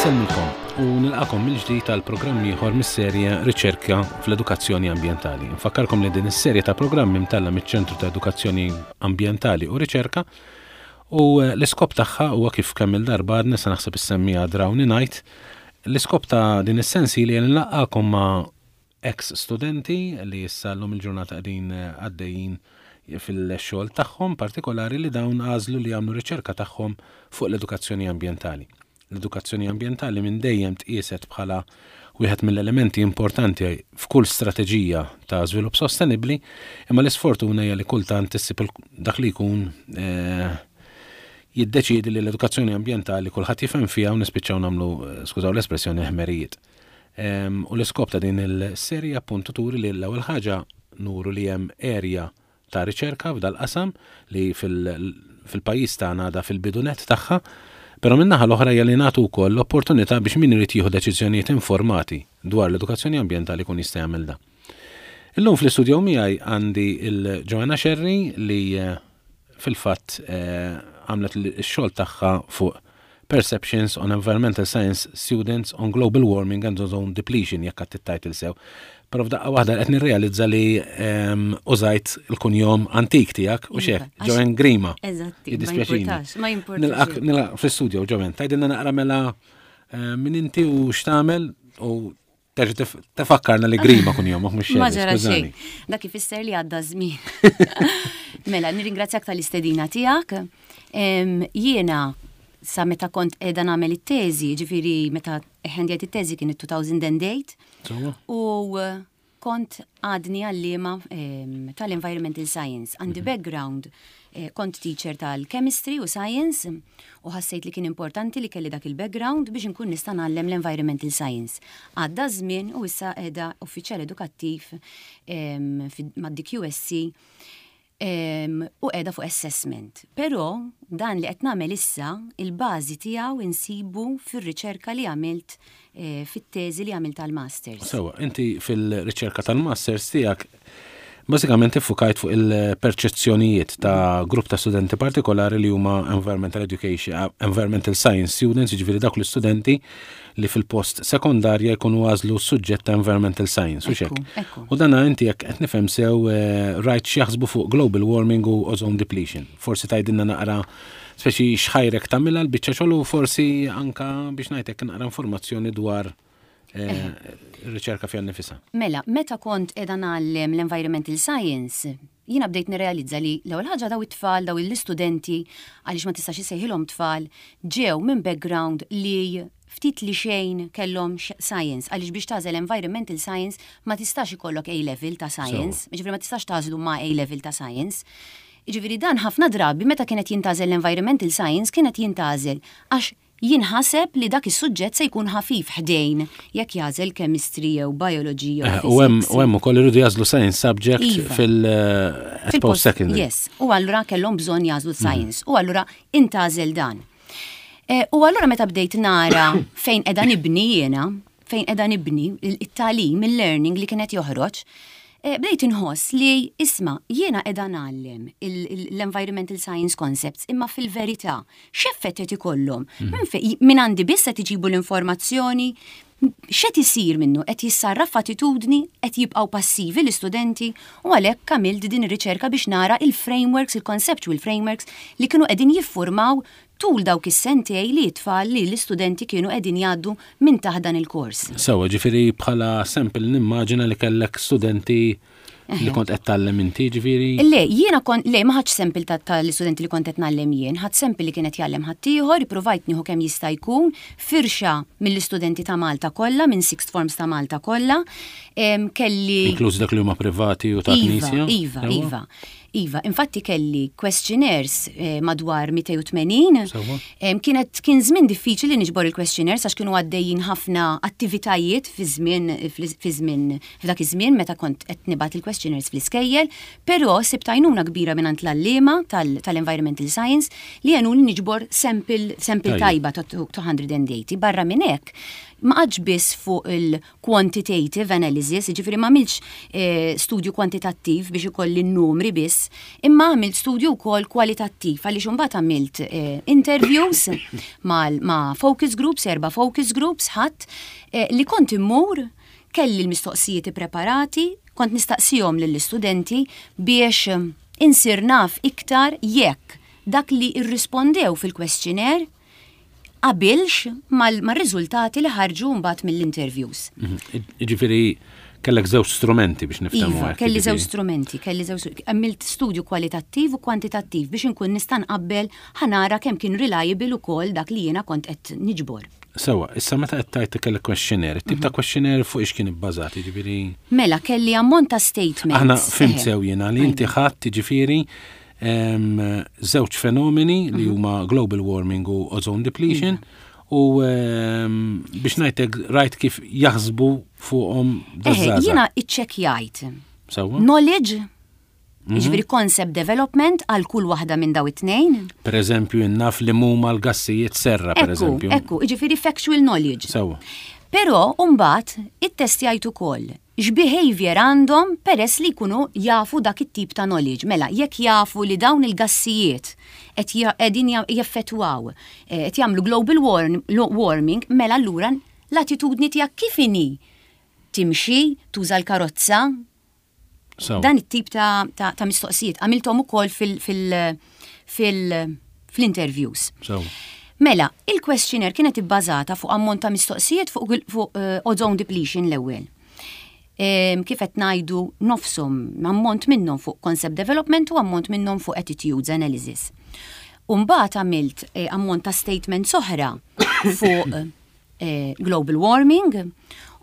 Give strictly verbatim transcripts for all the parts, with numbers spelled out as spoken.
Insellmilkom u nilqakom mill-ġdid tal-programm ieħor mis-serje Riċerka fl-Edukazzjoni Ambjentali. Nfakkarkom li din is-serje ta' programmi mtella miċ-Ċentru ta' Edukazzjoni Ambjentali u Riċerka u eh, l-iskop tagħha huwa, kif kemm il-darba għadna sa naħseb issemmija drawni ngħid, l-iskop ta' din is-sensi li nlaqqakom ma' ex studenti li issa llum il-ġurnata qegħdin eh, għaddejjin fil-xogħol tagħhom, partikolari li dawn għażlu li jagħmlu riċerka tagħhom fuq l-edukazzjoni ambjentali. L-edukazzjoni ambjentali minn dejjem tqieset bħala wieħed mill-elementi importanti f'kull strateġija ta' żvilupp sostenibbli, imma l-isfortuna hija li kultant issib dak li jkun eh, jiddeċiedi li l-edukazzjoni ambjentali kulħadd jifhem fiha u nispiċċaw nagħmlu, eh, skużaw l-espressjoni, ħmerijiet. U l-iskop ta' din il-serja appuntu turi li l-ewwel ħaġa nuru li hemm area ta' riċerka f'dal-qasam li fil-pajjiż tagħna għadha fil-bidu nett tagħha. Però min-naħa l-oħra hija li nagħtu wkoll l-opportunità biex min irid jieħu deċiżjonijiet informati dwar l-edukazzjoni ambjentali kun jista' jagħmel da. Illum fl-istudju miegħi għandi il-Joanna Scerri li eh, fil-fatt eh, għamlet x-xogħol tagħha fuq Perceptions on Environmental Science Students on Global Warming and Ozone Depletion, jekk għedt it-title sew. Però f'daqqa waħda qed nirrealizza li ehm, użajt il-kunjom antik tiegħek u xek, Iva, Joanne Grima. Eżatti, ma jimpurtax, ma jimpurtax. Nilqak fl-studio, Joanne, tgħidilna naqra mela eh, min inti u x'tagħmel u terġa' tfakkarna li Grima kunjom, mhux. Ma ġara xejn. Dak ifisser li għadda żmien. Mela, nirringrazzjak tal-istedina tiegħek. Jiena sa meta kont qiegħda nagħmel it-teżi, ġifieri meta ħendjajt it-teżi kien it-elfejn u tmienja. U kont għadni għallima tal-Environmental Science. Għandi mhm. background, eh, kont teacher tal-Chemistry u Science u ħassejt li kien importanti li kelli dak il-background biex nkun nista' ngħallem l-Environmental Science. Għadda żmien u issa qiegħda uffiċjal edukattiv mad-D Q S C u qiegħda fuq assessment. Però dan li qed nagħmel issa, il-bażi tiegħu insibu fir-riċerka li għamilt eh, fit-teżi li għamilt tal-masters. Sewa, inti fil-riċerka tal-masters tiegħek bażikament iffukajt fuq il-perċezzjonijiet ta' grupp ta' studenti partikolari li huma environmental education, environmental science students, jiġifieri dawk l-istudenti li fil-post sekondarja jkunu għażlu suġġett ta' environmental science, u xek. U dana inti, jekk qed nifhem sew, eh, rajt x'jaħsbu fuq global warming u ozone depletion. Forsi tgħidilna naqra speċi x'ħajrek tagħmilha l-biċċa xogħol u forsi anka biex ngħidlek naqra informazzjoni dwar eh, ir-riċerka fiha nnifisha. Mela, meta kont qiegħda ngħallem l-environmental science, jiena bdejt nirrealizza li l-ewwel ħaġa daw it-tfal, daw l-istudenti, għaliex ma tistax issejħilhom tfal, ġew minn background li ftit li xejn kellhom science, għaliex biex tagħżel environmental science ma tistax ikollok A level ta' science, jiġifieri ma tistax tagħżlu ma' A level ta' science. Jiġifieri dan ħafna drabi meta kienet jintgħażel l-environmental science kienet jintgħażel għax jinħaseb li dak is-suġġett se jkun ħafif ħdejn jekk jagħżel chemistry jew biology jew eh, U hemm ukoll iridu jagħżlu science subject iva. fil-post eh, secondary. Yes, u allura kellhom bżonn jagħżlu science u allura intgħażel dan. Eh, u allura meta bdejt nara fejn qiegħda nibni jiena, fejn qiegħda nibni it-tagħlim, il-learning li kienet joħroġ, Eh, bdejt inħoss li, isma', jiena qiegħda ngħallem l-environmental science concepts, imma fil-verità x'effett qed ikollhom? Mhm. Min għandi biss qed iġibu l-informazzjoni, x'qed isir minnu? Qed jissarraf attitudni? Qed jibqgħu passivi l-istudenti? U għalhekk għamilt din ir-riċerka biex nara il-frameworks, il-conceptual frameworks li kienu qegħdin jiffurmaw tul dawk is-sentej li tfal li l-istudenti kienu qegħdin jgħaddu minn taħt dan il-kors. Sewa, ġifieri bħala sample nimmaġina li kellek studenti li kont qed tgħallem inti, ġifieri? Le, jiena kont, le, ma ħadx sample tal-istudenti li kont qed ngħallem jien, ħadt sample li kienet jgħallem ħaddieħor, ippruvajt nieħu kemm jista' jkun firxa mill-istudenti ta' Malta kollha, minn sixth forms ta' Malta kollha. Kelli Inkluż dak li huma privati u ta' iva, knisja? Iva, iva. Iva, infatti kelli questionnaires eh, madwar mitejn u tmenin. Kienet kien żmien diffiċli niġbor il-questionnaires għax kienu għaddejjin ħafna attivitajiet fi żmien fi żmien f'dak iż-żmien meta kont qed nibgħat il-questionnaires fl-iskejjel, però sibt għajnuna kbira minn l-għalliema tal-environmental science li għenuni niġbor sample sample tajba ta' mitejn u tmenin. Barra minn hekk, Ma qgħadtx biss fuq il-quantitative analysis, ġifieri ma għamiltx eh, studju kwantitattiv biex ikolli n-numri biss, imma għamilt studju wkoll kwalitattiv, għaliex imbagħad għamilt eh, interviews ma' focus groups, erba' focus groups ħadd eh, li kont immur, kelli l-mistoqsijiet preparati, kont nistaqsihom lill-istudenti biex insir naf iktar jekk dak li irrispondew fil-questionnaire qabilx mal-riżultati li ħarġu mbagħad mill-interviews. Mhm. Ġifieri kellek żewġ strumenti biex niftehmu. Iva, kelli żewġ strumenti, kelli żewġ, għamilt studju kwalitattiv u kwantitattiv biex inkun nista' nqabbel, ħa nara kemm kien reliable ukoll dak li jiena kont qed niġbor. Sewa, issa meta qed tgħid kellek questionnaire, tip ta' mhm. questionnaire fuq ix kien ibbażat, jiġifieri? Mela, kelli ammont ta' statements. Aħna fhimt sew jiena li inti ħadd, jiġifieri, żewġ fenomeni li mhm. huma global warming u ozone depletion u biex ngħidlek rajt kif jaħsbu fuqhom. Jiena iċċekkjajt. Knowledge, mhm. Ġifieri concept development għal kull waħda minn daw it-tnejn. Per eżempju, naf li huma l-gassijiet serra, per eżempju. Ekku, ġifieri factual knowledge. Sewa. Però, mbagħad, it-testjajt ukoll x'behavior għandhom peress li jkunu jafu dak it-tip ta' knowledge. Mela, jekk jafu li dawn il-gassijiet qed qegħdin jeffettwaw, eh, qed jagħmlu global warming, mela allura l-attitudni tiegħek kif inhi? Timxi, tuża l-karozza, dan it-tip ta', ta, ta mistoqsijiet. Għamilthom ukoll fil, fil, fil, fl-interviews. Mela, il-questionnaire kienet ibbażata fuq ammont ta' mistoqsijiet fuq, fuq uh, ozone depletion l-ewwel. Kif qed ngħidu, nofshom, ammont minnhom fuq concept development u ammont minnhom fuq attitudes analysis. Umbagħad għamilt eh, ammont ta' statements oħra fuq eh, global warming.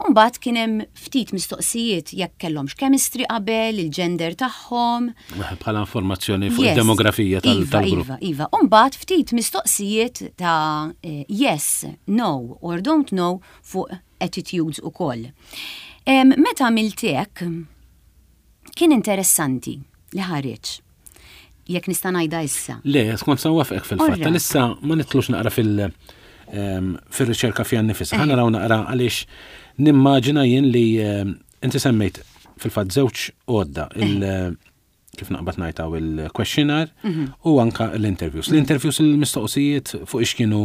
Umbagħad kien hemm ftit mistoqsijiet jekk kellhomx chemistry qabel, il-gender tagħhom. Bħala informazzjoni fuq id-demografija tal-grupp. Iva, iva. Umbagħad ftit mistoqsijiet ta' eh, yes, no or don't know fuq attitudes ukoll. Meta għamilt hekk, kien interessanti li ħareġ. Jekk nista' ngħidha issa. Le, skont sa wafqek fil-fatt. Issa ma nitlux naqra fil- fil-riċerka fiha nnifisha. Ħa naraw naqra għaliex nimmaġina jien li inti semmejt fil-fatt żewġ għodda, il- kif naqbad ngħidha, il-questionnaire mhm. u anka l-interviews. L-interviews, il-mistoqsijiet fuq ix kienu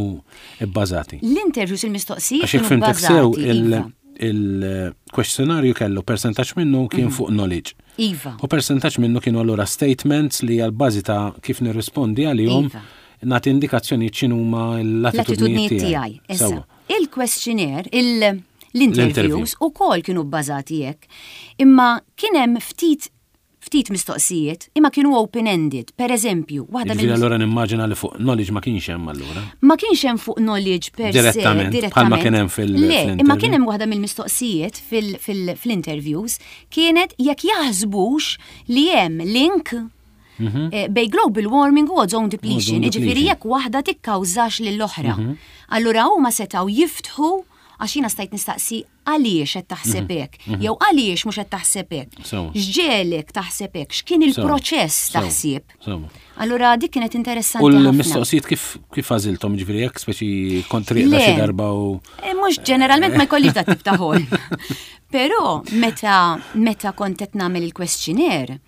bbażati? L-interviews, il-mistoqsijiet kienu bbażati. Iva. Il-questionarju kellu percentaġġ minnu kien mhm. fuq knowledge. Iva. U percentaġġ minnu kienu allura statements li għal-bażi ta' kif nirrispondi għalihom iva. nagħti indikazzjoni x'inhuma l-attitudnijiet tiegħi. Il-questionnaire, l-interviews ukoll kienu bbażati hekk. Imma kien hemm ftit ftit mistoqsijiet imma kienu open-ended. Per eżempju, waħda mill Allura nimmaġina li fuq knowledge ma kienx hemm allura. Ma kienx hemm fuq knowledge per se. Direttament, bħalma kien hemm fil- Le, imma kien hemm waħda mill-mistoqsijiet fil-interviews kienet jekk jaħsbux li hemm link mhm. eh, bejn global warming u ozone depletion, ġifieri jekk waħda tikkawżax lill-oħra. Mhm. Allura huma setgħu jiftħu għax jiena stajt nistaqsi għaliex qed taħseb mhm. hekk, mhm. jew għaliex mhux qed taħseb hekk. X'ġiegħlek taħseb hekk, x'kien il-proċess ta' ħsieb. Allura dik kienet interessanti. U l-mistoqsijiet kif kif għażilthom, ġifieri jekk speċi kont rieqda xi darba u. Eh, mhux ġeneralment, ma jkollix dat tip ta' ħol. Però meta meta kont qed nagħmel il-questionnaire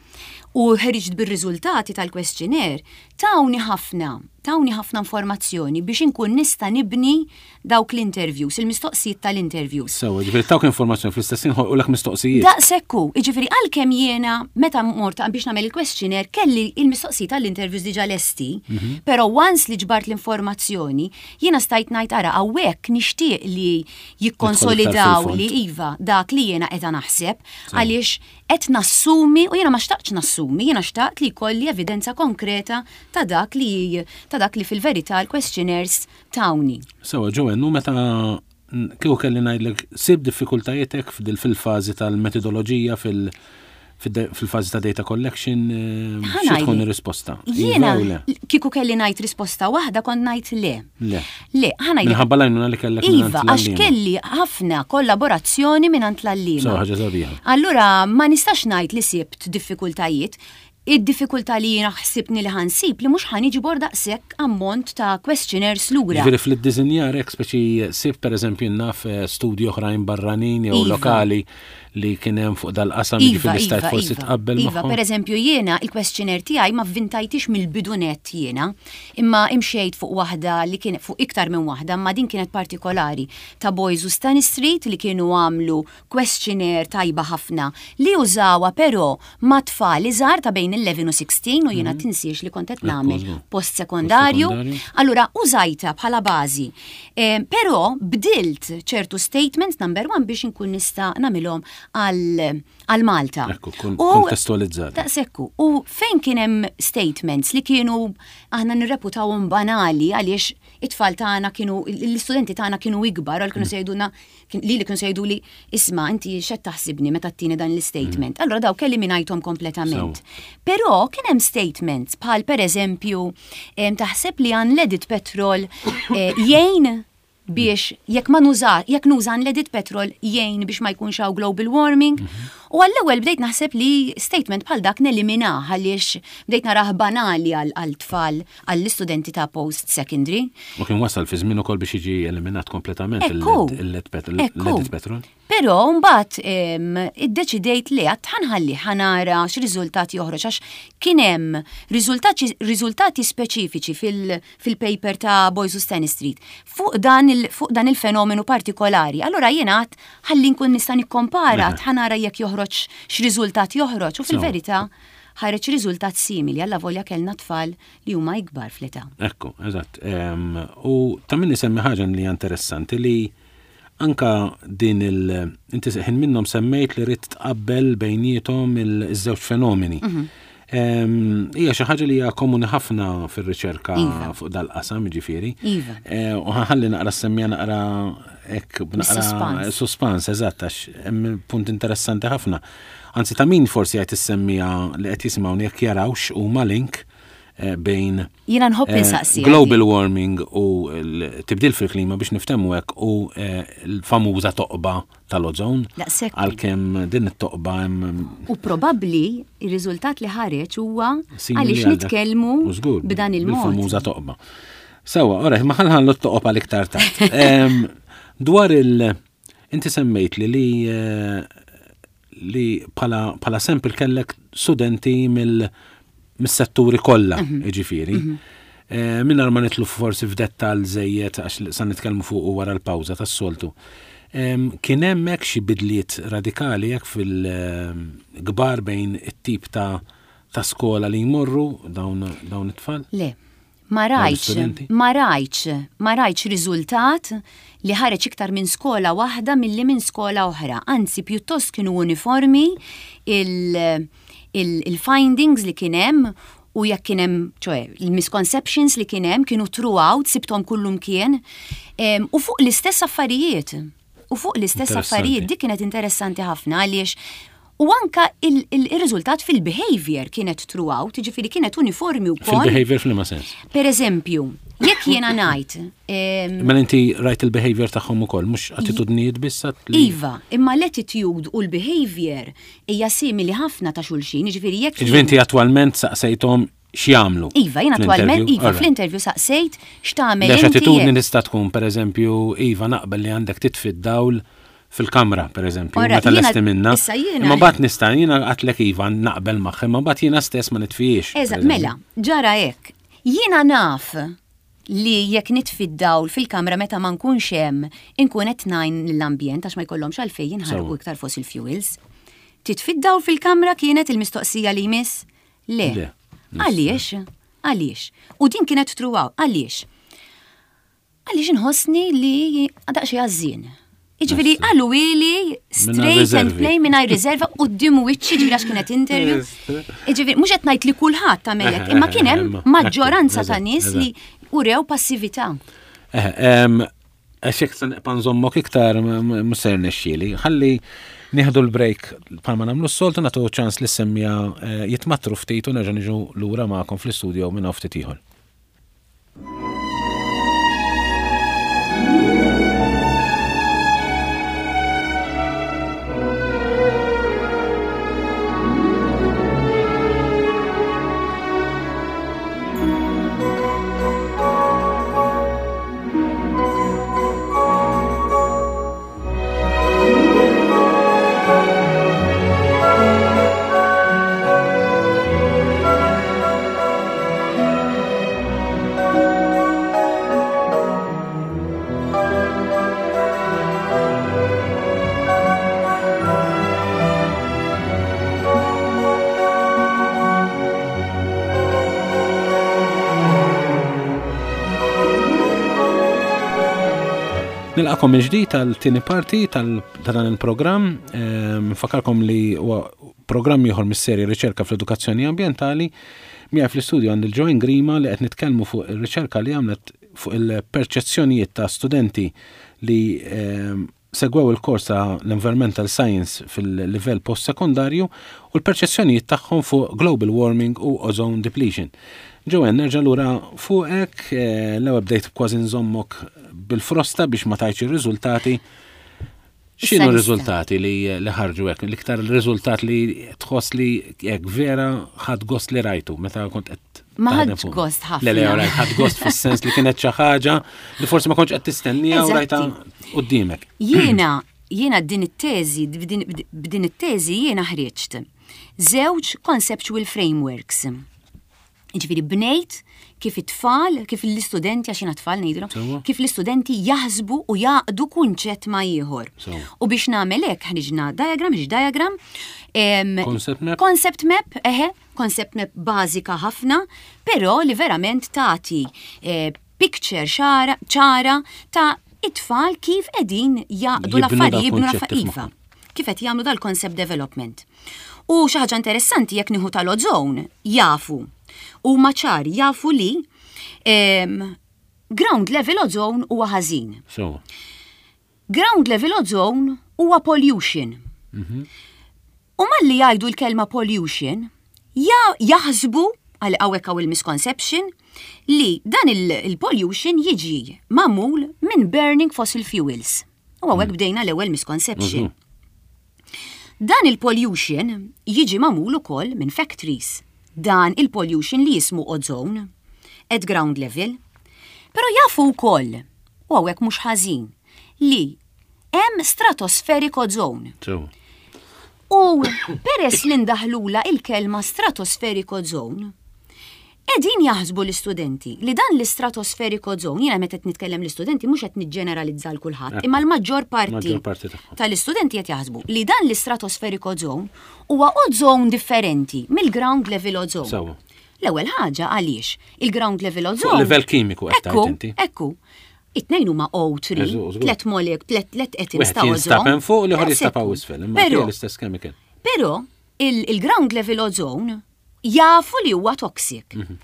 u ħriġt bir-riżultati tal-questionnaire, tawni ħafna, tawni ħafna informazzjoni biex inkun nista' nibni dawk l-interviews, il-mistoqsijiet tal-interviews. Sewa, ġifieri tawk informazzjoni, fl-istess ħin ħolqulek mistoqsijiet. Daqshekk hu, ġifieri għalkemm jiena meta mort biex nagħmel il-questionnaire kelli il-mistoqsijiet tal-interviews diġà lesti, mhm. però once li ġbart l-informazzjoni, jiena stajt ngħid, ara, hawnhekk nixtieq li jikkonsolidaw li iva dak li jiena qiegħda naħseb, għaliex qed nassumi u jiena ma xtaqtx nassumi, jiena xtaqt li jkolli evidenza konkreta ta' dak li ta' dak li fil-verità l-questionnaires tawni. Sewa, Joanne, u meta kieku kelli ngħidlek sibt diffikultajietek fil-fażi tal-metodoloġija, fil- fil-fażi ta' data collection, eh, xi tkun ir-risposta? Jiena iva kieku kelli ngħid risposta waħda, kont ngħid le. Le. Le, ħa ngħid. Minħabba l-għajnuna li kellek. Iva, għax kelli ħafna kollaborazzjoni minn l-għalliema. ħaġa sabiħa. Allura ma nistax ngħid li sibt diffikultajiet. Id-diffikultà li jiena ħsibni li ħa nsib li mhux ħa niġbor daqshekk ammont ta' questionnaires lura. Ġifieri fl-iddisinjar hekk speċi sib pereżempju naf eh, studji oħrajn barranin jew iva. lokali li kien hemm fuq dal-qasam iva, ġifieri stajt iva, forsi iva, tqabbel Iva, magħhom. per eżempju jiena il-questionnaire tiegħi ma vvintajtix mill-bidu nett jiena, imma imxejt fuq waħda li kien fuq iktar minn waħda, imma din kienet partikolari ta' Boys u Stanistreet li kienu għamlu questionnaire tajba ħafna li użawha però ma' tfal iżgħar ta' bejn il-eleven u sixteen u jiena tinsiex li kont qed Ekku, nagħmel żgur. post-sekondarju. Post-sekondarju. Allura użajta bħala bażi. Eh, però bdilt ċertu statements number one biex inkun nista' nagħmilhom għal għal Malta. Ekku, kun- U- kontestualizzati. Daqshekk. U fejn kien hemm statements li kienu aħna nirreputawhom banali għaliex it-tfal tagħna kienu l-istudenti tagħna kienu ikbar għal kienu se jgħidulna kien- li li kienu se jgħidu li isma' inti x'qed taħsibni meta ttini dan l-statement. Allura daw kelli minajthom kompletament. Però kien hemm statements bħal pereżempju em, taħseb li unleaded petrol eh, jgħin biex jekk ma nuża, jekk nuża unleaded petrol jgħin biex ma jkunx hawn global warming. U għall-ewwel bdejt naħseb li statement bħal dak neliminah għaliex bdejt narah banali għal għal tfal għall-istudenti ta' post secondary. U kien wasal fi żmien ukoll biex jiġi eliminat kompletament Ekku. il-lead petrol. Ekku. il-leaded petrol. Però mbagħad em, iddeċidejt li għad ħa nħalli ħa nara x'riżultat joħroġ għax kien hemm riżultati riżultati speċifiċi fil- fil-paper ta' Boys u Stanistreet fuq dan il, fuq dan il-fenomenu partikolari. Allura jiena għad ħalli nkun nista' nikkompara Eħe. ħa nara jekk joħroġ x'riżultat joħroġ u fil-verità ħareġ riżultat simili alla volja kellna tfal li huma ikbar fl-età. Ekku, eżatt. Em, U ta' min isemmi ħaġa li hija interessanti li anka din il- inti ħin minnhom semmejt li rrid tqabbel bejniethom il-żewġ fenomeni. Em, Hija xi ħaġa li hija komuni ħafna fir-riċerka Iva. fuq dal-qasam, jiġifieri. Iva. Eh, U ħa nħalli naqra semmija naqra hekk b'naqra Bis-suspans. suspans, eżatt, għax hemm punt interessanti ħafna. Anzi, ta' min forsi qed issemmija li qed jisimgħuni jekk jarawx huma link eh, bejn Jiena nħobb eh, insaqsi. global warming u l-tibdil fil-klima biex niftehmu hekk u eh, l-famuża toqba tal-ozone. Daqshekk. Għalkemm din it-toqba hemm U probabbli ir-riżultat li ħareġ huwa simili għaliex għal dak. nitkellmu U żgur, b'dan il-mod. Bil-famuża toqba. Sewa, ora, ma ħa nħallu t-toqob għal iktar tard. Em, Dwar il- inti semmejt li li eh, li bħala bħala sample kellek studenti mill mis-setturi kollha, Mhm. jiġifieri. Eh, Mingħajr ma nidħlu forsi f'dettall żejjed għax sa nitkellmu fuq wara l-pawża tas-soltu. Em, Kien hemm hekk xi bidliet radikali hekk fil-kbar bejn it-tip ta' ta' skola li jmorru dawn dawn it-tfal? Le, ma Dawn rajtx, l-istudenti? ma rajtx, ma rajtx riżultat li ħareġ iktar minn skola waħda milli minn skola oħra. Anzi, pjuttost kienu uniformi il- il- il-findings li kien hemm u jekk kien hemm, ċoè, il-misconceptions li kien hemm kienu throughout, sibthom kullum kien, em, u fuq l-istess affarijiet. U fuq l-istess Interessanti. affarijiet, dik kienet interessanti ħafna għaliex u anka il- il- il-riżultat fil-behavior kienet throughout, jiġifieri kienet uniformi wkoll. Fil-behavior f'liema sens. Per eżempju, jekk jiena ngħid, em, Mela inti rajt il-behavior tagħhom ukoll, mhux attitudnijiet biss għat li- Iva, imma l-attitude u l-behavior hija simili ħafna ta' xulxin, jiġifieri jekk Jiġifieri inti attwalment saqsejthom x'jagħmlu. Iva, jien attwalment, fl-interview? iva, Alright. fl-interview saqsejt x'tagħmel Lex inti. attitudni jekk- tista' tkun pereżempju, iva naqbel li għandek titfi d-dawl fil-kamra, pereżempju, Ora, meta jiena- lesti minna. issa jiena- Imma mbagħad nista' jiena għedtlek iva naqbel magħha, imma mbagħad jiena stess ma nitfijiex. Eżatt, pereżempju. mela, ġara hekk. Jiena naf li jekk nitfi d-dawl fil-kamra meta ma nkunx hemm, inkun qed ngħin l-ambjent għax ma jkollhomx għalfejn jinħarqu Sewa. iktar fossil fuels. Titfi d-dawl fil-kamra kienet il-mistoqsija li jmiss? Le. Le. Għaliex? Għaliex? U din kienet throughout, għaliex? Għaliex inħossni li daqsxejn għażżien. Jiġifieri qalu ili straight and riservi. plain mingħajr riserva quddiem wiċċi ġifieri għax kienet interview. Jiġifieri mhux qed ngħid li kulħadd tagħmel hekk, imma kien hemm Imma, maġġoranza ta' eżatt, nies li urew passività. Eh, em, Għax jekk se nibqa' nżommok iktar mhux se jirnexxieli. Ħalli nieħdu l-break bħalma nagħmlu s-soltu nagħtu ċans li semmija eh, jitmatru ftit u nerġa' niġu lura magħkom fl-istudio minn hawn ftit ieħor. Nilqagħkom mill-ġdid tal-tieni parti ta' dan il-programm. Ehm, nfakkarkom li huwa programm ieħor mis-serje Riċerka fl-Edukazzjoni Ambjentali. Miegħi fl-istudju għandi l-Joanne Grima li qed nitkellmu fuq ir-riċerka li għamlet fuq il-perċezzjonijiet ta' studenti li ehm, segwew il-kors ta' l-Environmental Science fil-livell post-sekundarju u l-perċezzjonijiet tagħhom fuq global warming u ozone depletion. Joanne, nerġa' lura fuqek, eh, l-ewwel bdejt kważi nżommok bil-frosta biex ma tajtx ir-riżultati. X'inhu r-riżultati li, li ħarġu hekk? L-iktar riżultat li tħoss li hekk vera ħadt gost li rajtu meta kont qed Ma ħadt gost ħafna. Le, le, rajt ħadt gost fis-sens li kienet xi ħaġa li forsi ma kontx qed tistennija u rajta quddiemek. Jiena, jiena din it-teżi, b'din it-teżi jiena ħriġt. Żewġ conceptual frameworks. Ġifieri bnejt kif it-tfal, kif l-istudenti, għax jiena tfal ngħidilhom, kif l-istudenti jaħsbu u jgħaqqdu kunċett ma' ieħor. U biex nagħmel hekk ħriġna diagram, ħriġ diagram. Concept map? Concept map, eħe, concept map bażika ħafna, però li verament tagħti eh, picture ċara ta' it-tfal kif qegħdin jgħaqqdu l-affarijiet, jibnu l-affarijiet. Kif qed jagħmlu dal-concept development. U xi ħaġa interessanti, jekk nieħu tal-ozone, jafu u maċar jafu li um, ground level ozone huwa ħażin. So. Ground level ozone huwa pollution. Mm -hmm. U malli jgħidu l-kelma pollution, jaħsbu għal hawnhekk hawn il-misconception li dan il-pollution jiġi magħmul minn burning fossil fuels. U hawnhekk mm. bdejna l-ewwel misconception. Mm -hmm. Dan il-pollution jiġi magħmul ukoll minn factories, dan il-pollution li jismu ozone at ground level. Però jafu wkoll, u hawnhekk mhux ħażin, li hemm stratospheric ozone. U peress li ndaħlula il-kelma stratospheric ozone, qegħdin jaħsbu l-istudenti li dan l-stratospheric ozone, jiena meta qed nitkellem l-istudenti mhux qed niġġeneralizza l kulħadd, imma l-maġġor parti tal-istudenti qed jaħsbu li dan l-stratospheric ozone huwa ozone differenti mill-ground level ozone. L-ewwel ħaġa, għaliex il-ground level ozone. Level kimiku qed inti. Ekku. It-tnejn huma O tlieta, tlet molek, tlet tlet atoms ta' ozone. Fuq, l-ieħor jinstab isfel, imma l-istess chemical. Però il-ground level ozone jafu li huwa toxic. Mhm.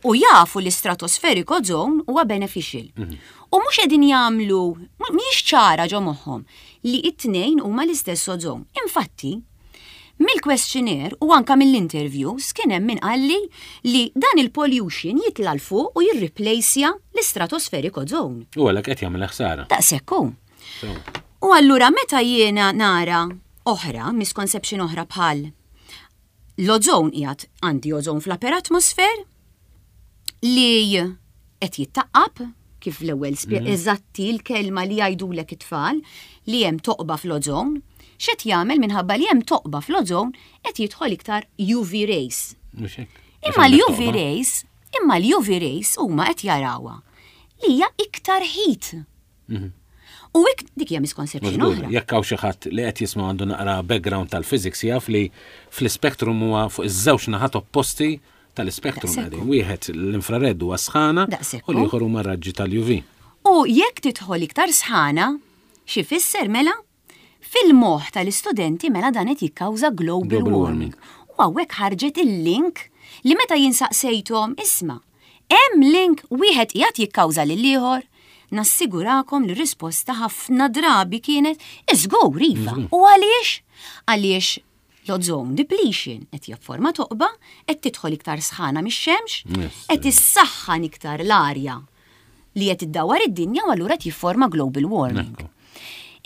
U jafu li stratospheric ozone huwa beneficial. Mhm. U mhux qegħdin jagħmlu, mhix ċara ġo moħħhom li it-tnejn huma l-istess ozone. Infatti, mill-questionnaire u anka mill-interviews kien hemm min qalli li dan il-pollution jitla' 'l fuq u jirreplacja l-stratospheric ozone. U għalhekk qed jagħmel ħsara. Daqshekk hu. U allura meta jiena nara oħra, misconception oħra, bħal l-ozone, qiegħed għandi ozone fl-upper atmosphere li qed jittaqqab, kif l-ewwel mm. eżatti l-kelma li jgħidulek it-tfal li hemm toqba fl-ozone, x'qed jagħmel minħabba li hemm toqba fl-ozone, qed jidħol iktar U V rays. Imma l-U V rays, imma l-U V rays huma qed jarawha li hija iktar heat. Mhm. U ik dik hija misconception oħra. Jekk hawn xi ħadd li qed jisma' għandu naqra background tal-physics, jaf li fl-spektrum huwa fuq iż-żewġ naħat opposti tal-spektrum qegħdin. Wieħed l-infrared huwa sħana u l-ieħor huma raġġi tal-U V. U jekk tidħol iktar sħana, xi fisser mela? Fil-moħħ tal-istudenti mela dan qed jikkawża global warming. U hawnhekk ħarġet il-link li meta jien saqsejthom, isma', hemm link, wieħed qiegħed jikkawża lil ieħor? Nassigurakom li risposta ħafna drabi kienet iżgur iva. U għaliex? Għaliex l-ozone depletion qed jafforma toqba, qed tidħol iktar sħana mix-xemx, qed issaħħan iktar l-arja li qed iddawar id-dinja u allura qed jifforma global warming.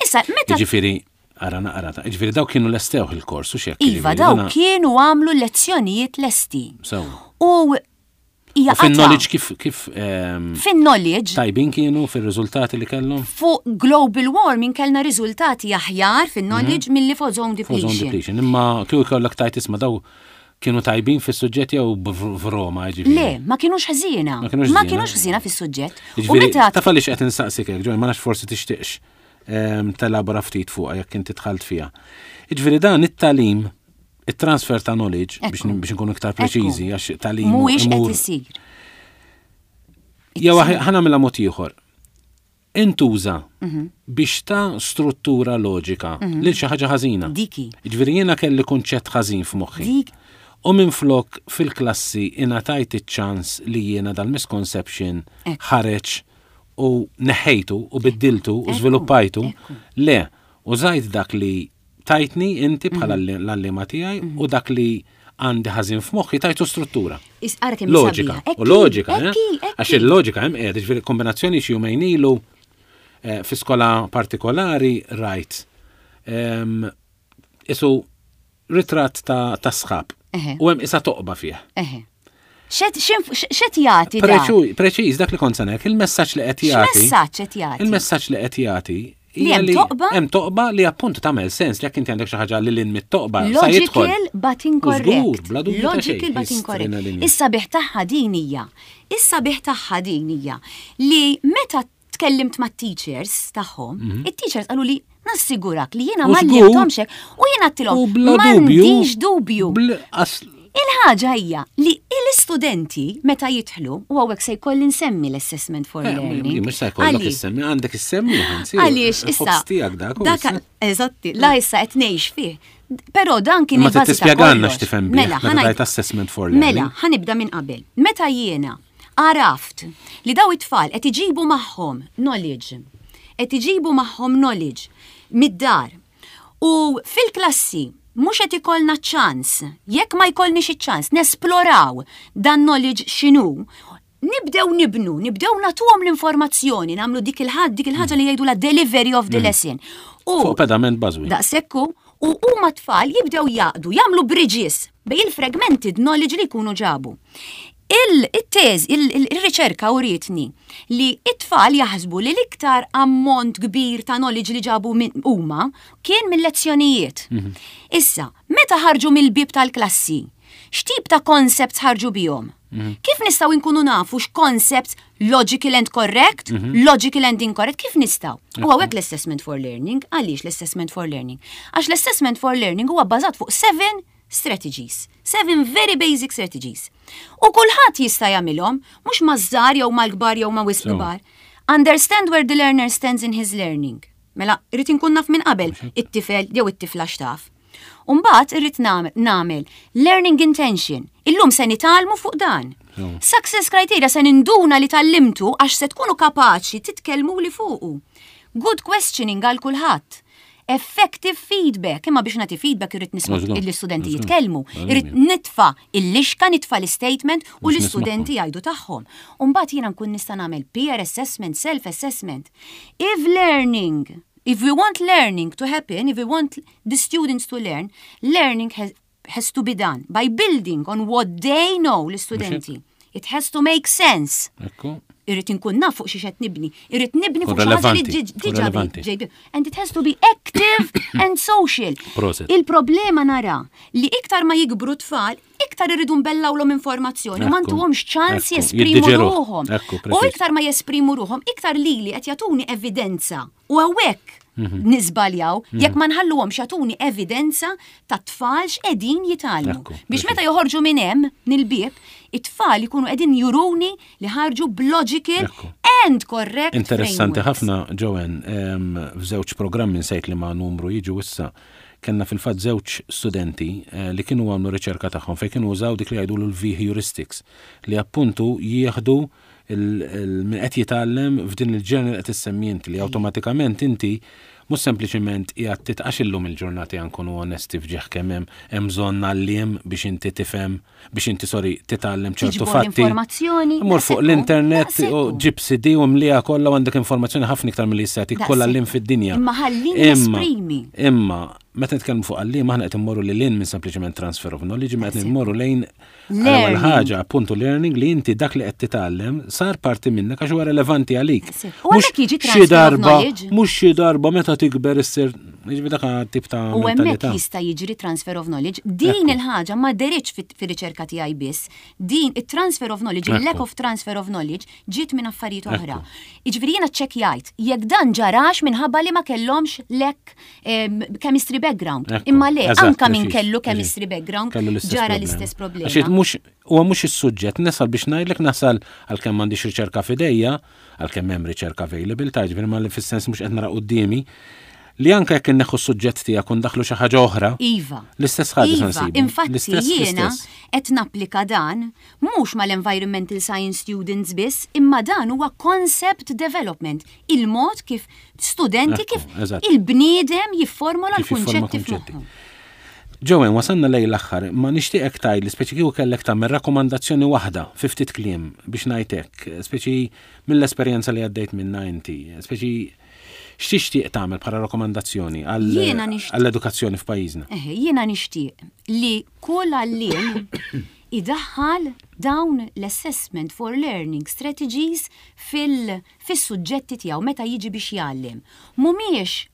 Issa, meta. Ġifieri, ara naqra ta' ġifieri daw kienu lestewh il-kors u xek. Iva, daw kienu għamlu lezzjonijiet lesti. U hija Fin-knowledge kif kif ehm, Fin-knowledge. Tajbin kienu fir-riżultati li kellhom? Fuq global warming kellna riżultati aħjar fin-knowledge mhm. milli fuq ozone depletion. Ozone depletion. Imma kieku jkollok tgħid, isma', daw kienu tajbin fis-suġġett jew f'Roma, ġifieri? Le, ma kienux ħżiena. Ma kienux ħżiena fis-suġġett. U meta taf għaliex qed insaqsik hekk, Joy, ma nafx forsi tixtieqx ehm, telabora ftit fuqha jekk inti dħalt fiha. Jiġifieri dan it-tagħlim, il-transfer ta' knowledge, biex nkunu iktar preċiżi, għax tagħlim. Mhuwiex qed isir. Jew ħa nagħmilha mod ieħor. Intuża Mhm. biex ta' struttura loġika lil xi ħaġa ħażina. Diki. Ġifieri jiena kelli kunċett ħażin f'moħħi. Dik. U minn flok fil-klassi ingħatajt iċ-ċans li jiena dal-misconception Ekku. ħareġ u neħejtu u biddiltu u Ekku, żviluppajtu. ekku. Le, użajt dak li tajtni inti bħala Mhm. l-għalliema tiegħi u dak li għandi ħażin f'moħħi tajtu struttura. Is- Ara kemm Loġika. sabiħa. U loġika, eh? Ekki, ekki. Għax il-loġika hemm qiegħed, ġifieri kombinazzjoni xi jumejn ilu eh, fi skola partikolari rajt. Em, Isu ritratt ta' ta' sħab. Eħe. U hemm isa toqba fih. Eħe. X'qed x'inf- x'qed jagħti dan? Preċu- Preċiż dak li kont se ngħid, il-messaġġ li qed jagħti. X'messaġġ qed jagħti? Il-messaġġ li qed jagħti Li hija hemm toqba? Hemm toqba li appuntu tagħmel sens li jekk inti għandek xi ħaġa li lil mit-toqba sa jidħol. Logical but U żgur, incorrect. bla dubju ta' xejn, Logical but jistrina incorrect. linja. Is-sabiħ tagħha din hija. Is-sabiħ tagħha din hija li meta tkellimt ma' teachers tagħhom, it-teachers qalu li nassigurak li jiena Mhm. U ma żgur. għallimthomx hekk u jiena għedtilhom U bla dubju. m'għandix dubju. bl- as- Il-ħaġa hija li l-istudenti meta jidħlu u hawnhekk se jkolli nsemmi l-assessment for Eh, learning. Mhux se jkollok Għaliex? issemmi, għandek issemmi, anzi. Għaliex issa. il-ħobż tiegħek dak. u dak- issa. Eżatti, la issa qed ngħix fih. Però dan kien Imma il-bażi ta' tispjegalna kollox. x'tifhem bih, Mela, meta ħa ngħid- tajt assessment for learning. Mela, ħa nibda minn qabel. Meta jiena għaraft li daw it-tfal qed iġibu magħhom knowledge, qed iġibu magħhom knowledge mid-dar u fil-klassi mhux qed ikollna ċans, jekk ma jkollniex iċ-ċans nesploraw dan knowledge x'inhu, nibdew nibnu, nibdew nagħtuhom l-informazzjoni, nagħmlu dik il-ħadd dik il-ħaġa li jgħidu la delivery of the lesson. U Fuq pedament bażwi. Daqshekk u huma tfal jibdew jaqdu, jagħmlu bridges bejn il-fragmented knowledge li jkunu ġabu. Il-też, il-riċerka urietni li it-tfal jaħsbu li l-iktar ammont kbir ta' knowledge li ġabu minn huma kien mill-lezzjonijiet. Issa, meta ħarġu mill-bib tal-klassi, x'tip ta' concepts ħarġu bihom? Kif nistgħu nkunu nafu x'concepts logical and correct, logical and incorrect, kif nistgħu? U hawnhekk l-assessment for learning, għaliex l-assessment for learning? Għax l-assessment for learning huwa bbażat fuq seven strategies, seven very basic strategies. U kulħadd jista' jagħmilhom, mhux maż-żgħar jew mal-kbar jew ma' wisq So. kbar. Understand where the learner stands in his learning. Mela, irrid inkun naf minn qabel it-tifel jew it-tifla x'taf. Umbagħad irrid nagħmel learning intention. Illum se nitgħallmu fuq dan. Success criteria se ninduna li tgħallimtu għax se tkunu kapaċi titkellmu li fuqu. Good questioning għal kulħadd. Effective feedback, imma biex nagħti feedback irrid nisma' l-istudenti jitkellmu, irrid nitfa' il-lixka, nitfa' l-statement u l-istudenti jgħidu tagħhom. Umbagħad jiena nkun nista' nagħmel peer assessment, self assessment. If learning If we want learning to happen, if we want the students to learn, learning has, has to be done by building on what they know, l-istudenti. It has to make sense. Irrid inkun naf fuq xi qed nibni. Irrid nibni fuq xi ħaġa li diġà ġejbi. And it has to be active and social. Il-problema nara li iktar ma jikbru tfal, iktar irridu nbellawlhom informazzjoni, ma ntuhomx ċans jesprimu ruħhom. U iktar ma jesprimu ruħhom, iktar lili qed jagħtuni evidenza. U hawnhekk mhm. niżbaljaw, jekk ma nħalluhomx jagħtuni evidenza ta' tfal x'qegħdin jitgħallmu. Biex meta joħorġu minn hemm nil-bieb, it-tfal ikunu qegħdin juruni li ħarġu b'logical and correct. Interessanti ħafna, Joanne, f'żewġ programmi nsejt li ma' numru jiġu issa kellna fil-fatt żewġ studenti eh, li kienu għamlu riċerka tagħhom fejn kienu użaw dik li jgħidu l-V heuristics li appuntu jieħdu min qed jitgħallem f'din il-ġener qed issemmi inti li awtomatikament inti mhux sempliċiment qiegħed titqax illum il-ġurnati nkunu onesti fġieħ kemm hemm hemm bżonn għalliem biex inti tifhem biex inti sorry titgħallem ċertu fatti. Informazzjoni. Mur fuq l-internet u ġib C D u mlija kollha u għandek informazzjoni ħafna iktar milli jista' jagħtik kollha għalliem fid-dinja. Imma ħallini esprimi. Imma meta nitkellmu fuq għalliem aħna qed immorru lil hinn minn sempliċement transfer of knowledge, ma qed immorru lejn l-ewwel ħaġa appuntu learning li inti dak li qed titgħallem sar parti minnek għax huwa relevanti għalik. U hemmhekk jiġi xi transfer of darba, knowledge. mhux xi darba meta tikber issir, jiġifieri dak tip ta' U hemmhekk mentalità. jista' jiġri transfer of knowledge. Din il-ħaġa ma deritx fir-riċerka tiegħi biss. Din it-transfer of knowledge, il-lack of transfer of knowledge ġiet minn affarijiet oħra. Jiġifieri jiena ċċekkjajt jekk dan ġarax minħabba li ma kellhomx lek em, chemistry background. Imma le, anka min kellu chemistry background, ġara l-istess problema. Għax mhux huwa mhux is-suġġett, nasal biex ngħidlek, nasal għalkemm m'għandix riċerka f'idejja, għalkemm hemm riċerka available, ta' ġifieri ma li fis-sens mhux qed nara quddiemi, li anke jekk inneħħu s-suġġett tiegħek u ndaħlu xi ħaġa oħra. Iva. L-istess ħaġa iva, infatti jiena qed napplika dan mhux mal-environmental science students biss, imma dan huwa concept development, il-mod kif studenti, kif il-bniedem jifformola l-kunċetti f'moħħu. Joanne, wasanna lejn l-aħħar, ma nixtieqek tgħid li speċi kieku kellek tagħmel rakkomandazzjoni waħda fi ftit kliem biex ngħidlek, speċi mill-esperjenza li għaddejt minna inti, speċi x'tixtieq tagħmel bħala rakkomandazzjoni għall-edukazzjoni f'pajjiżna? Jiena nixtieq li kull għalliem idaħħal dawn l-assessment for learning strategies fil-suġġetti tiegħu meta jiġi biex jgħallem. Mhumiex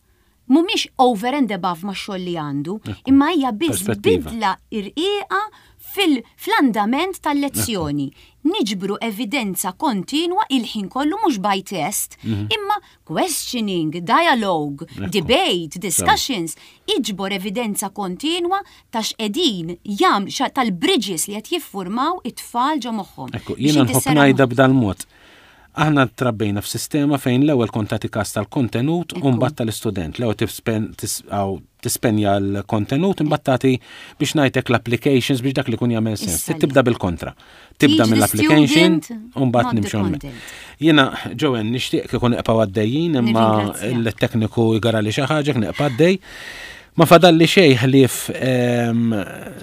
mhumiex over and above ma' xogħol li għandu, imma hija biss bidla irqiqa fil-andament tal-lezzjoni. Niġbru evidenza kontinwa il-ħin kollu, mhux by test, mhm. imma questioning, dialogue, debate, discussions, iġbor evidenza kontinwa ta' x'qegħdin jam tal-bridges li qed jiffurmaw it-tfal ġo moħħhom. Ekku, jiena nħobb ngħidha b'dal-mod. Aħna trabbejna f'sistema fejn l-ewwel kont tagħti kas tal-kontenut u mbagħad tal-istudent. L-ewwel tispenja l-kontenut, imbagħad tagħti biex ngħidlek l-applications biex dak li kun jagħmel sens. Tibda bil-kontra. Tibda mill-application u mbagħad nimxu. Jiena, Joanne, nixtieq kieku nibqgħu għaddejjin, imma l-tekniku jgara li xi ħaġa nibqa' għaddej. Ma fadalli xejn ħlief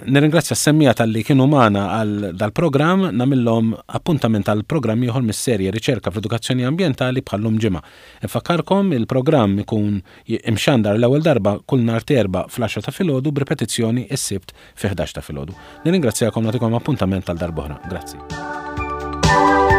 nirringrazzja s-semmiegħa talli kienu magħna għal dal-programm, nagħmillhom appuntament għal programm ieħor mis-serje Riċerka fl-Edukazzjoni Ambjentali bħallum ġimgħa. Infakkarkom, il-programm ikun imxandar l-ewwel darba kull nhar Erbgħa fl-għaxra ta' filgħodu, b'ripetizzjoni is-Sibt fi ħdax ta' filgħodu. Nirringrazzjakom, nagħtikom appuntament għal darb'oħra. Grazzi.